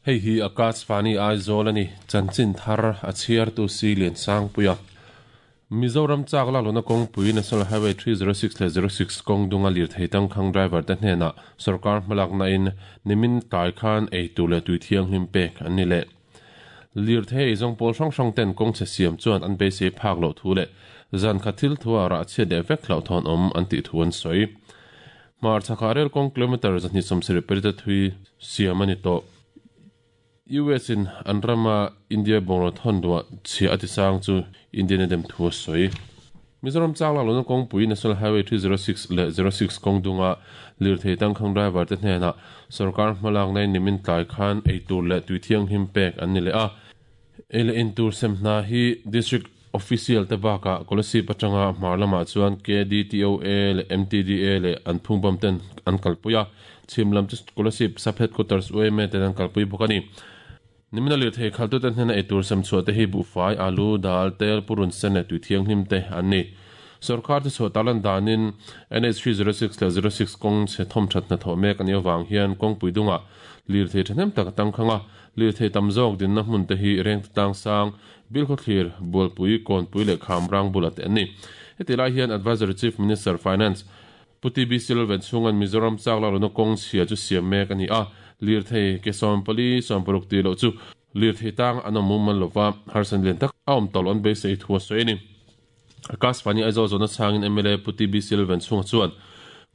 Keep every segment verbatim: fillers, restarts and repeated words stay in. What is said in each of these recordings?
Hei hi Akashvani Aizawl ani chanchin thar a chhiar tu si lian sang puia Mizoram chak la lona kawngpui National Highway three zero six leh zero six kawng dunga lir thei tangkhang driver te hnenah sarkar hmalak na in nimin tlai khan ei tur leh tui thianghlim pek an ni leh lir thei ei zawng pawl hrang hrang ten kawng chhe siam chuan an beisei phak loh thu leh zan khat thil thua rah chhiat leh vek hlauh thawn awm an tih thu an sawi. Hmar chhakah rel kawng kilometre zahnih sawmsarih pali te thui siam a ni tawh. U S in an rama India bungraw thawn duah chhia a ti sang chu Indian a dem thu a sawi. Mizoram chak lak lohna kawngpui National Highway three zero six leh zero six kawng dunga lirthei tangkhang driver te hnenah sarkar hmalak nai nimin tlai khan ei tur leh tui thianghlim pek an ni leh a. Ei leh in tur sem hna hi district official te bakah Kolasib atanga hmar lamah chuan K D T O A leh M T D A leh an phungbawm ten an kalpui a. Chhim lam chu Kolasib sub headquarters U M A ten an kalpui bawk a ni. Nimina lirthei khaltu te hnena ei tur sem chhuah te hi buhfai, alu, dal, tel, purun sen leh tui thianghlim te an ni. Sarkar te chhuah tarlan danin N H three zero six leh zero six kawng chhe thawm that hnathawh mek a nih avang hian kawngpui dungah lirthei thahnem tak a tangkhang a, lirthei tam zawk dinna hmun te hi reng tlang sang, Bilkhawthlir, Bualpui, Kawnpui leh Khamrang bulah te an ni. Heti lai hian Advisory Chief Minister Finance Pu T B Silvan chhungan Mizoram chak lak lohna kawng chhia chu siam mek a ni a, lirthei ke sawm pali sawm paruk tih loh chu lirthei tang an awm mumal lova harsan lian tak a awm tawh loh an beisei thu a sawi a ni. Akashvani Aizawl zawhna chhangin M L A Pu T B Silvan chhunga chuan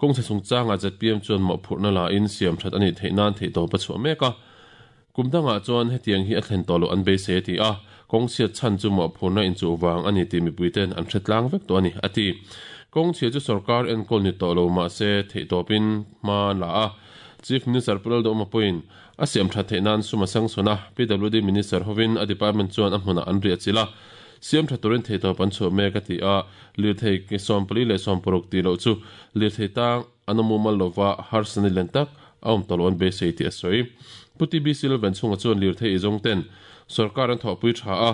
kawng chhe chungchangah Z P M chuan mawhphurhna lahin siam that a nih theih nan theihtawp a chhuah mek a. Kum dangah chuan hetiang hi a thlen tawh loh an beisei a ti a, kawng chhiat chhan chu mawhphurhna inchuh vang a ni tih mipuiten an hre tlang vek tawh a ni a ti. Kawng chhia chu sarkar enkawl ni tawh lo mahse theihtawpin hma an la a, Chief Minister Pu Lalduhawma pawhin a siam that theih nan sum a sangsawn a, P W D Minister hovin a department chuan a hmunah an riah chilh a, siam tha turin theihtawp an chhuah mek a ti a, lirthei ke sawm pali leh sawm paruk tih loh chu lirthei tang an awm mumal lova harsa ni len tak a awm tawh loh an beisei tih a sawi. Pu T B Silvan chhunga chuan lirthei i zawng ten sarkar an thawhpui tha a,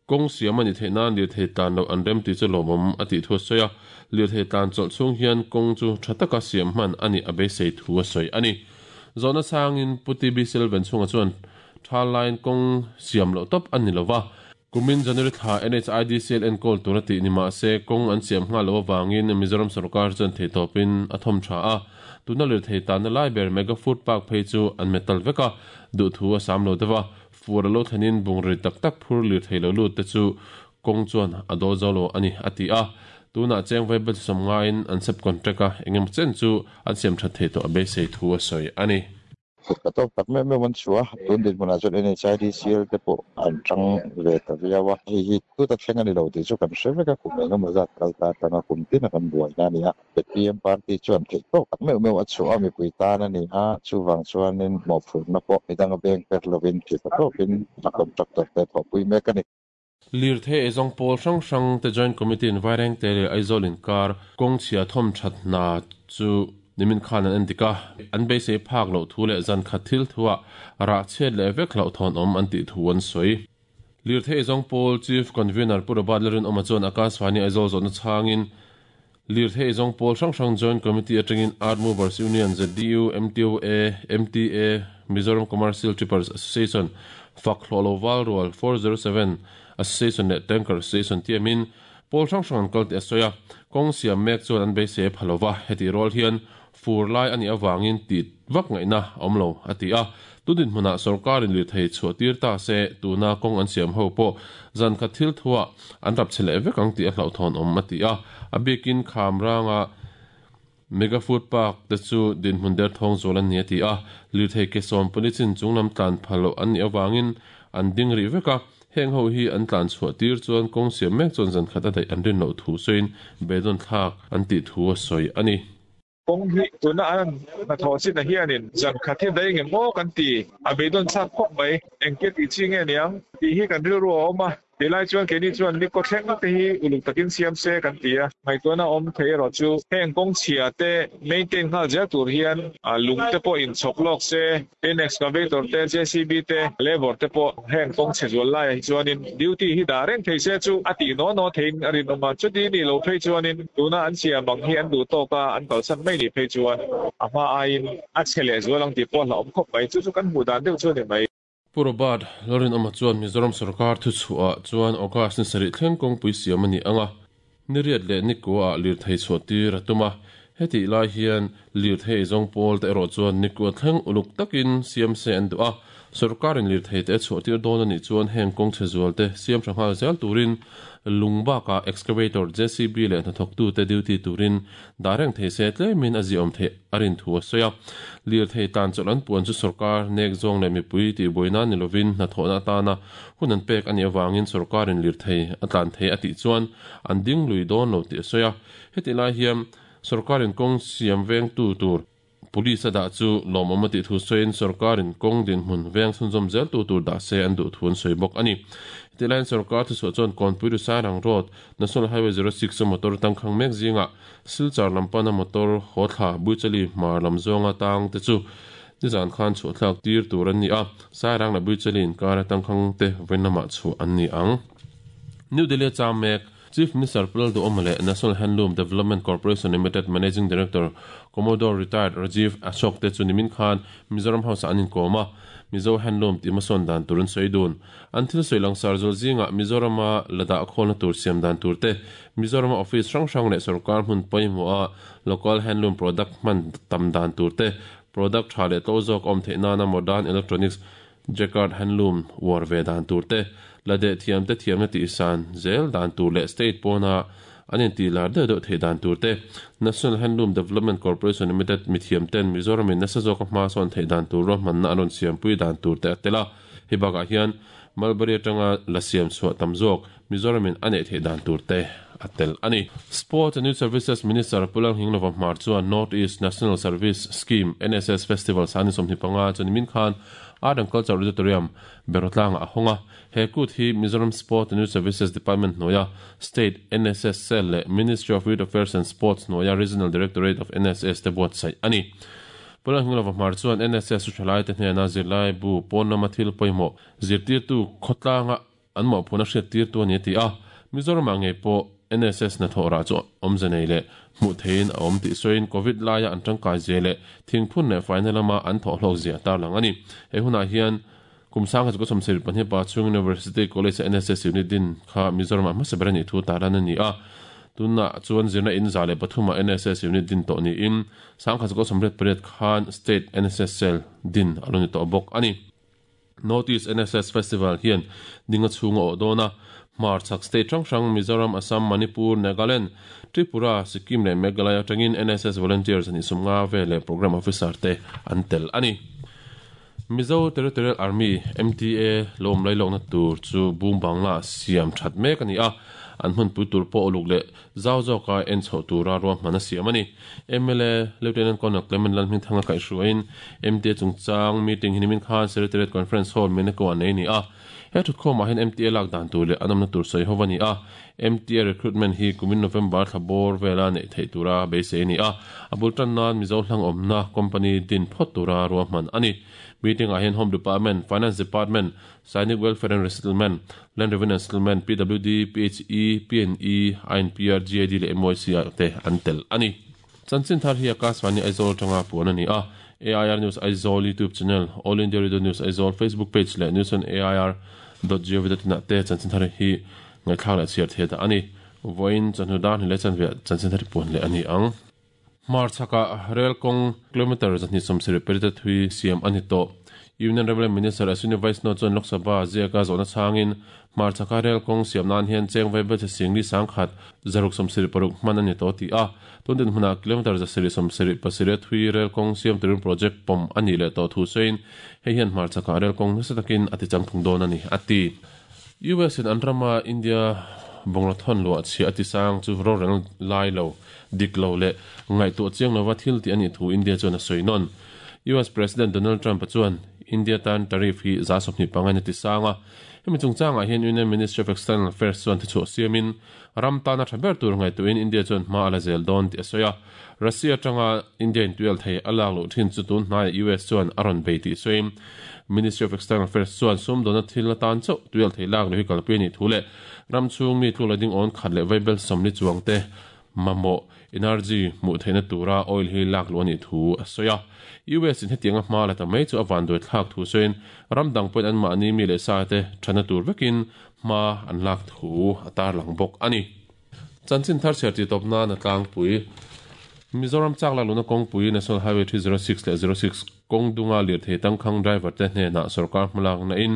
kawng siam a ni theih nan lirthei tlan loh an rem tih chu lawmawm a tih thu a sawi a, lirthei tlan chawlh chhung hian kawng chu tha taka siam hman a nih a beisei thu a sawi a ni. Zawhna sangin Pu T B Silvan chhunga chuan tha laiin kawng siam loh tawp a ni lova, kumin January thla N H I D C L enkawl tur a tih ni mahse kawng an siam nghal loh avangin Mizoram sarkar chuan theihtawpin a thawm tha a, tuna lirthei tanna lai ber Mega Food Park phei chu an metal vek a, duhthu a sam lo deuh a, fur a lo thlenin bungrei tak tak phur lirthei lo lut te chu kawng chuan a dawl zo lo a ni a ti a, tunah cheng vaibel sawm ngaiin an sub contract a, engemaw chen chu an siam that thei tawh a beisei thu a sawi a ni. Ka tawp tak meuh meuh an chhuah a, tun dinhmunah chuan N H I D C L te pawh an tang ve ta viau a, hei hi tuta thleng a ni lo tih chu kan hre vek a, kum engemaw zat kal ta atanga kum tin a kan buaina a ni a, Z P M party chuan theih tawk tak meuh meuh a chhuah a, mipui tan a ni a, chuvang chuanin mawhphurhna pawh midang a beng per lovin thil ta tawkin a contractor te thawhpui mek a ni. Lirthei eizawng pawl hrang hrang te Joint Committee in Vairengte leh Aizawl inkar kawng chhia thawm that hna chu nimin khan an en dik a, an beisei phak loh thu leh zan khat thil thuah rah chhiat leh vek hlauh thawn awm an tih thu an sawi. Lirthei eizawng pawl Chief Convener Pu Robert Lalrinawma chuan Akashvani Aizawl zawhna chhangin Lirthei eizawng pawl hrang hrang Joint Committee atangin Art Movers Union, Z D U, M T O A, M T A, Mizoram Commercial Trippers Association, Fak Hlawh Lo Val Rual four zero seven Association leh Tanker Association tiamin pawl hrang hrang an kal tih a sawi a, kawng siam mek chuan an beisei a pha lova, heti rual hian fur lai a nih avangin tih vak ngaihna a awm lo a ti a, tun dinhmunah sarkarin lirthei chhuah tir ta se tuna kawng an siam ho pawh zan khat thil thuah an rap chhe leh vek ang tih a hlauhthawn awm a ti a, a bikin kham ranga Mega Food Park te chu dinhmun der thawng zual an ni a ti a, lirthei ke sawm pali chin chung lam tlan phal loh an nih avangin an ding rih vek a, heng ho hi an tlan chhuah tir chuan kawng siam mek chuan zan khat a daih an rin loh thu sawiin beidawn thlak an tih thu a sawi a ni. Kawng hi tuna an hnathawh chin ah hianin zan khat hi daih nge maw kan ti, a beidawn chak khawp mai, engtia tih chi nge niang tih hi kan rilru a awm a, Tilai chuan keini chuan ni ko thleng te hi uluk takin siam se kan tia ngai to na om thei ro chu heng kong chhia te maintain ngal ja tur hian a lung te pawh in chhok lok se tin excavator te J C B te labor te pawh heng kong chhe zual lai hi chuanin duty hi da reng thei se chu ati no no thein arin awma chuti ni lo phei chuanin tuna an siam bang hi an du tawka an kalsan mai ni phei chuan a hma aiin a chhe zualang ti pawh la awm khawp mai chu chu kan hmu dan deuh chu ni mai. Purobad Lorin ama chuan Mizoram sarkar thu chhuah chuan August ni sarih thleng kawngpui siam ani anga niriat leh ni kuah lir thei chhuah tir atuma heti lai hian lir thei zawng pawl te erawh chuan ni kuah thleng uluk takin siam se an duh a sarkarin lir thei te chhuah tir dawn ani chuan heng kawng chhe zual te siam tha nghal zel turin lungbaka excavator J C B leh hnathawk tu te duty turin dareng thei se tlemin a ziawm thei arin thu a sawi a lir thei tan chawlh an puan chu sarkar nek zawng leh mipui tih buaina ni lovin hnathawhna atana hun an pek ani awangin sarkarin lir thei a tlan thei a tih chuan an ding lui dawn lo tih a sawi a heti lai hian sarkarin kawng siam veng tu tur police da chu lawmawm a tih thu sawiin sarkarin kawng dinhmun veng chhunzawm zel tu tur dah se an duh thu an sawi bawk ani. Heti sarkar thu chhuah chuan Kawnpui ru Sairang Road National Highway zero six motor tangkhang mek zinga Silchar lampana motor haw thla Buichali hmar lam zawnga tang te chu nizan khan chhuah thlak tir tur an ni a Sairang la Buichali inkar tangkhang te vawiin chhuah an ni ang. New Delhi cham mek Chief Minister Pulal Duhoma leh National Handloom Development Corporation Limited Managing Director Commodore Retired Rajiv Ashok te chu nimin khan Mizoram House an inkawm a Mizo Handloom ti mason dan turun sawi dun an thil sawi langsar zul zinga Mizorama lada khawlna tur siam dan tur te Mizorama office hrang hrang leh sarkar hmun pawimawh a local handloom product hman tam dan tur te product tha leh to zawk awm theih nana modern electronics jacquard handloom war ve dan tur te lade thiam te thiamna tih san zel dan tur leh state pawna an inti lar deuh deuh thei dan tur te National Handloom Development Corporation Limited mi thiam ten Mizoramin nasa zawk a hma sawn thei dan tur ruahmanna an rawn siampui dan tur te a tel a hei bakah hian Mulberry atanga la siam chhuah tam zawk Mizoramin a neih theih dan tur te a tel ani. Sports and Youth Services Minister Pulang Hinglova Hmar chuan North East National Service Scheme N S S Festival sani sawmhnih panga chuan nimin khan Art and Culture Auditorium Berotlanga a hawnga he kut hi Mizoram Sport and Youth Services Department hnuaia State N S S Cell leh Ministry of Youth Affairs and Sports hnuaia Regional Directorate of N S S te buatsaih ani. Pulang Hinglova Hmar chuan N S S thalai te hnena zirlai bu pawn lama thil pawimawh zirtirtu khawtlanga an mawhphuna hriat tir tu ani a ti a Mizoram ah ngei pawh N S S na thawh rah chu awmze nei leh hmuh theiin a awm tih sawiin COVID laia an tangkai zia leh thingphun leh faina lama an thawh hlawk zia tar lang ani. He hunah hian kum sangha chu ka sawmsarih pahnih pa chung University College N S S unit din kha Mizoram ah hmasa ber ani thu taran ani a tunah chuan zirna in za leh pathum ah N S S unit din tawh niin sangha chu ka sawmriat pariat khan State N S S Cell din a lo ni tawh bawk ani. North East N S S Festival hian dinga chhunga awh dawn a Hmar chhak state hrang hrang Mizoram, Assam, Manipur, Nagaland, Tripura, Sikkim leh Meghalaya atangin N S S volunteers an isum nga ve leh program officer te an tel ani. Mizo Territorial Army M T A lawm lai lawkna tur chu boom bangla siam that mek ani a an hmun pui tur pawh uluk leh zau zawka en chhoh tura ruahman a siam ani. M L A Lieutenant Colonel Clement Lalhming Thanga kaihhruaiin M T A chungchang meeting hi nimin khan Secretariat Conference Hall Meneko an nei ni a he thutkhawmah hian M T A lak dan tur leh an awmna tur sawi ho ani a M T A recruitment hi kumin November thlabawr vela neih theih tura beisei ani a a bul tan nan Mizo hlang awmna company din phawt tura ruahman ani. Meeting ah hian Home Department, Finance Department, Sainik Welfare and Resettlement, Land Revenue and Settlement, P W D, P H E, P N E, I N P R, G I D leh M Y C te an tel ani. Chanchin thar hi Akashvani Aizawl tanga puan ani a A I R News Aizawl YouTube channel, All India Radio News Aizawl Facebook page leh news on A I R dot gov dot in te chanchin thar hi ngaithla leh chhiar the da ani. Voin chanhu dan hi le chanve chanchin thar puan leh ani ang. Hmar chhaka rail kawng kilometer zahnih sawmsarih pariat thui siam ani tawh. Union Railway Minister Ashwini Vaishnaw chuan Lok Sabha ziaka zawhna chhangin hmar chhaka rail kawng siam nan hian cheng vaibel che singli sangkhat zaruk sawmsarih paruk hman ani tawh ti a tun din hmunah kilometer zasarih sawmsarih pasarih thui rail kawng siam turin project pawm ani leh tawh thu sawiin hei hian hmar chhaka rail kawng nasa takin a ti changphung dawn ani a ti. U S in an rama India bawngla thawn luah chhia a ti sang chu ro reng lai lo dik lo leh ngaihtuah chiang lova thil tih ani thu India chuan a sawi nawn. U S President Donald Trump chuan India tan tariff hi za sawmhnih panga ni tisanga hemi chungchangah hian Union Ministry of External Affairs chuan thi chhuah siamin ram tana tha ber tur ngai tuin India chuan hma ala zel dawn ti a sawi a Russia tanga India in tuil thei a lak loh thin chu tun hnai U S chuan a rawn bei tih sawiin Ministry of External Affairs chuan sum dawna thil atan chauh tuil thei lak lo hi kalpui ani thu leh ram chhung mi tluk la ding awn khat leh vaibel sawmli chuang te mamo energy mu theina tura oil hi lak lo ani thu a sawi a U S in hetianga hma la ta mai chu a van doi thlak thu sawiin ram dang point an mahni mi leh sa te thana tur vekin hma an lak thu a tar lang bawk ani chanchin thar chher ti tawp na na tlang pui Mizoram chak la luna kawngpui National Highway three zero six leh zero six kawng dunga lirthei tangkhang driver te hnenah sarkar hmalak na in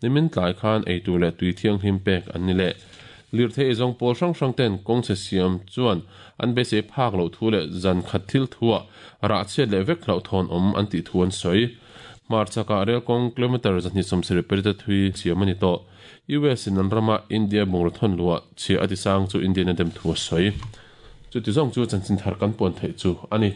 nimin tlai khan eitur leh tui thianghlim pek an ni leh lirthei zawng pawl hrang hrang ten kawng che siam chuan an beisei phak loh thu leh zan khat thil thua rah chhiat leh vek hlauh thawn awm an tih thu an sawi mar chaka rel kawng kilometer zahnih sawmsarih pariat thui siam ani tawh U S in an rama India bungraw thawn luah chhia a ti sang chu Indian a dem thu a sawi chu ti zawng chu chanchin thar kan puan theih chu ani.